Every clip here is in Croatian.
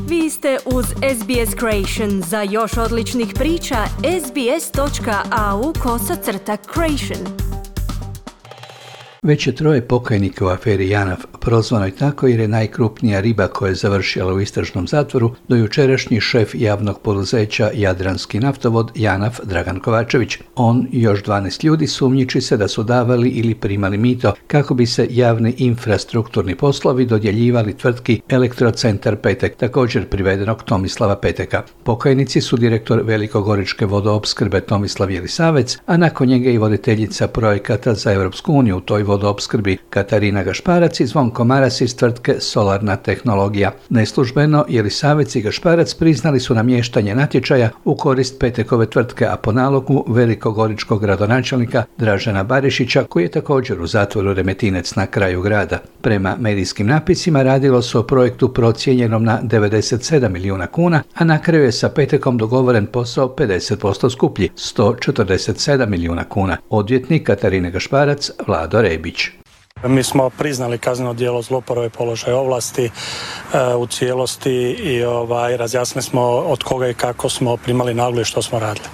Vi ste uz SBS Creation. Za još odličnih priča, sbs.au/creation. Već je 3 pokajnika u aferi JANAF, prozvanoj tako jer je najkrupnija riba koja je završila u istražnom zatvoru, do jučerašnji šef javnog poduzeća Jadranski naftovod JANAF Dragan Kovačević. On i još 12 ljudi sumnjiči se da su davali ili primali mito kako bi se javni infrastrukturni poslovi dodjeljivali tvrtki Elektrocentar Petek, također privedenog Tomislava Peteka. Pokajnici su direktor Velikogoričke vodoopskrbe Tomislav Jelisavec, a nakon njega i voditeljica projekata za Europsku uniju u toj vodoopskrbi Katarina Gašparac i Zvonko Maras iz tvrtke Solarna tehnologija. Neslužbeno Jelisavec i Gašparac priznali su namještanje natječaja u korist Petekove tvrtke, a po nalogu velikogoričkog gradonačelnika Dražena Barišića, koji je također u zatvoru Remetinec na kraju grada. Prema medijskim napisima radilo se o projektu procijenjenom na 97 milijuna kuna, a na kraju je sa Petekom dogovoren posao 50% skuplji, 147 milijuna kuna. Odvjetnik Katarine Gašparac, Vlado Rebić. Mi smo priznali kazneno djelo zlouporabe položaja ovlasti u cijelosti i razjasnili smo od koga i kako smo primali naloge i što smo radili.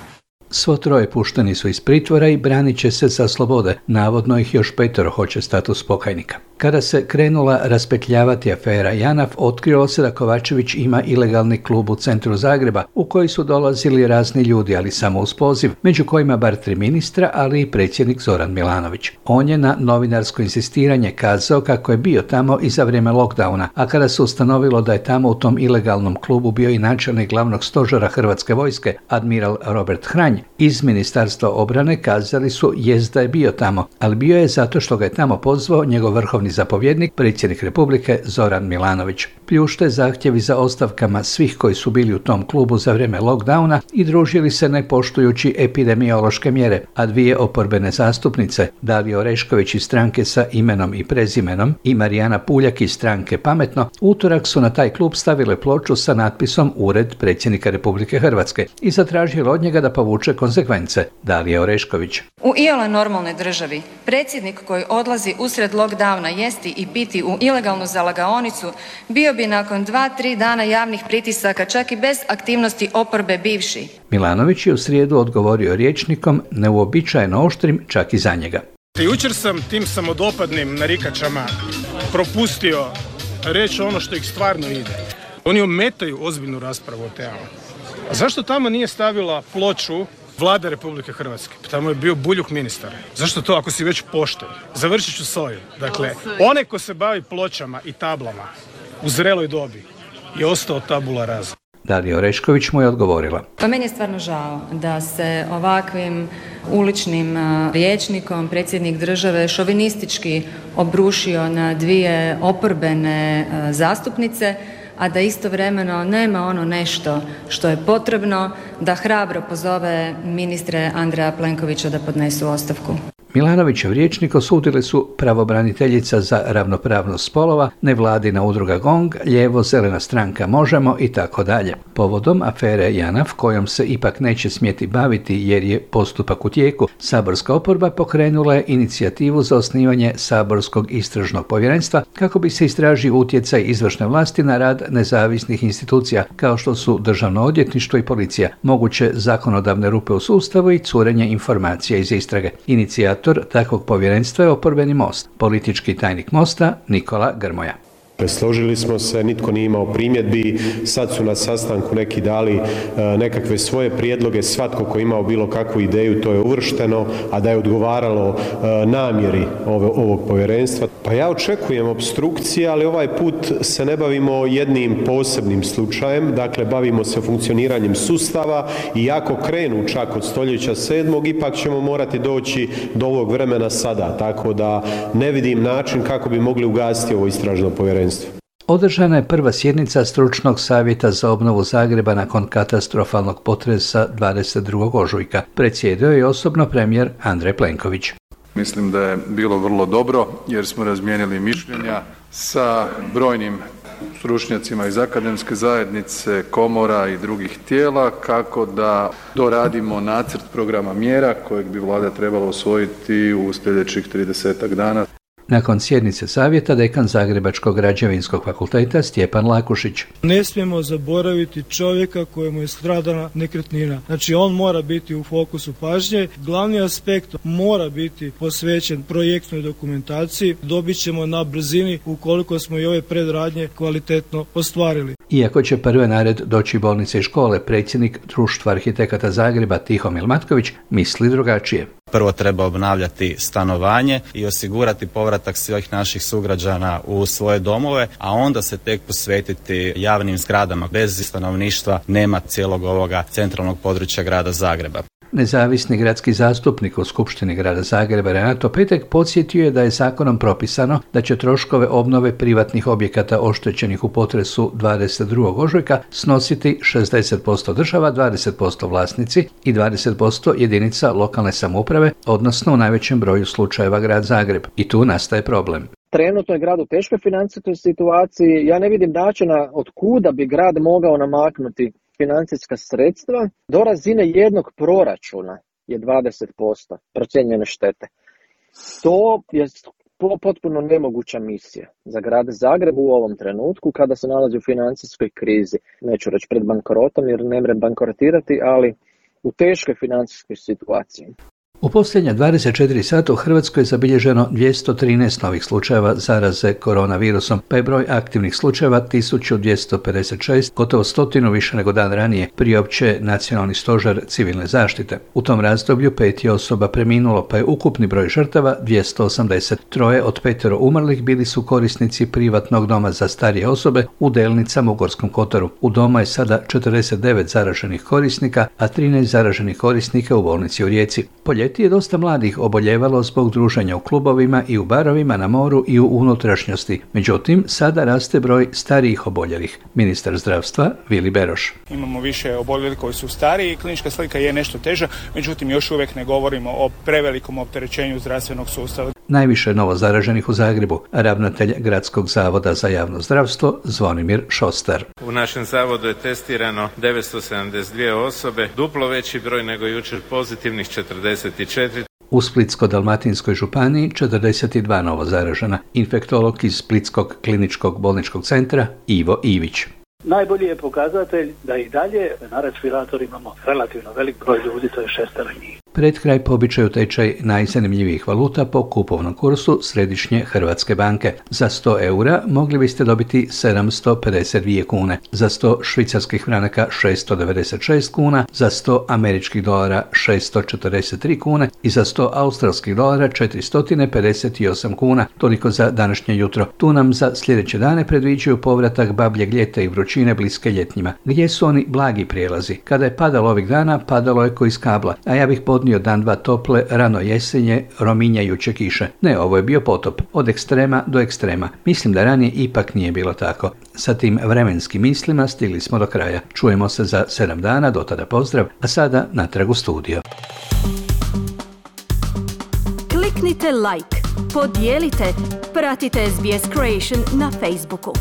Svo 3 pušteni su iz pritvora i branit će se sa slobode. Navodno ih još 5 hoće status pokajnika. Kada se krenula raspetljavati afera JANAF, otkrilo se da Kovačević ima ilegalni klub u centru Zagreba u koji su dolazili razni ljudi, ali samo uz poziv, među kojima bar 3 ministra, ali i predsjednik Zoran Milanović. On je na novinarsko insistiranje kazao kako je bio tamo i za vrijeme lockdowna, a kada se ustanovilo da je tamo u tom ilegalnom klubu bio i načelnik glavnog stožera Hrvatske vojske, admiral Robert Hranj, iz Ministarstva obrane kazali su jest da je bio tamo, ali bio je zato što ga je tamo pozvao njegov vrhovni zapovjednik, predsjednik Republike Zoran Milanović. Pljušte zahtjevi za ostavkama svih koji su bili u tom klubu za vrijeme lockdowna i družili se ne poštujući epidemiološke mjere, a 2 oporbene zastupnice, Dalija Orešković iz stranke sa imenom i prezimenom i Marijana Puljak iz stranke Pametno, utorak su na taj klub stavile ploču sa natpisom Ured predsjednika Republike Hrvatske i zatražili od njega da povuče konsekvence. Dalija Orešković. U iole normalnoj državi predsjednik koji odlazi usred lockdowna jesti i piti u ilegalnu zalagaonicu bio bi nakon 2-3 dana javnih pritisaka čak i bez aktivnosti oporbe bivši. Milanović je u srijedu odgovorio rječnikom neuobičajeno oštrim čak i za njega. Jučer sam tim samodopadnim narikačama propustio reći ono što ih stvarno ide. Oni ometaju ozbiljnu raspravu o temama. A zašto tamo nije stavila ploču Vlada Republike Hrvatske? Tamo je bio Buljuk ministar. Zašto to ako si već pošten? Završit ću s ovim. Dakle, onaj ko se bavi pločama i tablama u zreloj dobi je ostao tabula rasa. Dalija Orešković mu je odgovorila. Pa meni je stvarno žao da se ovakvim uličnim rječnikom predsjednik države šovinistički obrušio na 2 oporbene zastupnice, a da istovremeno nema ono nešto što je potrebno da hrabro pozove ministre Andreja Plenkovića da podnesu ostavku. Milanovićev rječnik osudili su pravobraniteljica za ravnopravnost spolova, nevladina udruga GONG, lijevo-zelena stranka Možemo i tako dalje. Povodom afere JANAF, kojom se ipak neće smjeti baviti jer je postupak u tijeku, saborska oporba pokrenula je inicijativu za osnivanje saborskog istražnog povjerenstva kako bi se istražio utjecaj izvršne vlasti na rad nezavisnih institucija kao što su Državno odvjetništvo i policija, moguće zakonodavne rupe u sustavu i curenje informacija iz istrage. Inicijator takvog povjerenstva je oporbeni Most. Politički tajnik Mosta Nikola Grmoja. Složili smo se, nitko nije imao primjedbi, sad su na sastanku neki dali nekakve svoje prijedloge, svatko ko imao bilo kakvu ideju to je uvršteno, a da je odgovaralo namjeri ovog povjerenstva. Pa ja očekujem opstrukcije, ali ovaj put se ne bavimo jednim posebnim slučajem, dakle bavimo se funkcioniranjem sustava i ako krenu čak od stoljeća 7. ipak ćemo morati doći do ovog vremena sada, tako da ne vidim način kako bi mogli ugasiti ovo istražno povjerenstvo. Održana je prva sjednica Stručnog savjeta za obnovu Zagreba nakon katastrofalnog potresa 22. ožujka. Predsjedao je osobno premijer Andrej Plenković. Mislim da je bilo vrlo dobro jer smo razmijenili mišljenja sa brojnim stručnjacima iz akademske zajednice, komora i drugih tijela kako da doradimo nacrt programa mjera kojeg bi Vlada trebala usvojiti u sljedećih 30 dana. Nakon sjednice savjeta dekan Zagrebačkog građevinskog fakulteta Stjepan Lakušić. Ne smijemo zaboraviti čovjeka kojemu je stradana nekretnina. Znači on mora biti u fokusu pažnje. Glavni aspekt mora biti posvećen projektnoj dokumentaciji. Dobit ćemo na brzini ukoliko smo i ove predradnje kvalitetno ostvarili. Iako će prve na red doći bolnice i škole, predsjednik Društva arhitekata Zagreba Tihomil Matković misli drugačije. Prvo treba obnavljati stanovanje i osigurati povratak svih naših sugrađana u svoje domove, a onda se tek posvetiti javnim zgradama. Bez stanovništva nema cijelog ovoga centralnog područja grada Zagreba. Nezavisni gradski zastupnik u Skupštini grada Zagreba Renato Petek podsjetio je da je zakonom propisano da će troškove obnove privatnih objekata oštećenih u potresu 22. ožujka snositi 60% država, 20% vlasnici i 20% jedinica lokalne samouprave, odnosno u najvećem broju slučajeva grad Zagreb. I tu nastaje problem. Trenutno je grad u teškoj financijskoj situaciji. Ja ne vidim načina od kuda bi grad mogao namaknuti financijska sredstva. Do razine jednog proračuna je 20% procijenjene štete. To je potpuno nemoguća misija za grad Zagreb u ovom trenutku kada se nalazi u financijskoj krizi. Neću reći pred bankrotom jer ne mre bankrotirati, ali u teškoj financijskoj situaciji. U posljednja 24 sata u Hrvatskoj je zabilježeno 213 novih slučajeva zaraze koronavirusom, pa je broj aktivnih slučajeva 1256, gotovo 100 više nego dan ranije, priopće Nacionalni stožer civilne zaštite. U tom razdoblju 5 je osoba preminulo, pa je ukupni broj žrtava 280. 3 od 5 umrlih bili su korisnici privatnog doma za starije osobe u Delnicama u Gorskom Kotaru. U doma je sada 49 zaraženih korisnika, a 13 zaraženih korisnika u bolnici u Rijeci. Je dosta mladih oboljevalo zbog druženja u klubovima i u barovima, na moru i u unutrašnjosti. Međutim, sada raste broj starijih oboljelih. Ministar zdravstva Vili Beroš. Imamo više oboljelih koji su stariji, klinička slika je nešto teža, međutim još uvijek ne govorimo o prevelikom opterećenju zdravstvenog sustava. Najviše novo zaraženih u Zagrebu, ravnatelj Gradskog zavoda za javno zdravstvo Zvonimir Šostar. U našem zavodu je testirano 972 osobe, duplo veći broj nego jučer pozitivnih 44. U Splitsko-dalmatinskoj županiji 42 novo zaražena. Infektolog iz Splitskog kliničkog bolničkog centra Ivo Ivić. Najbolji je pokazatelj da i dalje na respiratoru imamo relativno velik broj ljudi, to je 6 njih. Pred kraj po običaju tečaj najzanimljivijih valuta po kupovnom kursu Središnje Hrvatske banke. Za 100 eura mogli biste dobiti 752 kune, za 100 švicarskih franaka 696 kuna, za 100 američkih dolara 643 kune i za 100 australskih dolara 458 kuna. Toliko za današnje jutro. Tu nam za sljedeće dane predviđaju povratak babljeg ljeta i vrućine bliske ljetnjima. Gdje su oni blagi prijelazi? Kada je padalo ovih dana, padalo je ko iz kabla, a ja bih podnio dan dva tople, rano jesenje, rominjajuće kiše. Ne, ovo je bio potop, od ekstrema do ekstrema. Mislim da ranije ipak nije bilo tako. Sa tim vremenskim mislima stigli smo do kraja. Čujemo se za 7 dana, do tada pozdrav, a sada natrag u studio. Kliknite like, podijelite, pratite SBS Creation na Facebooku.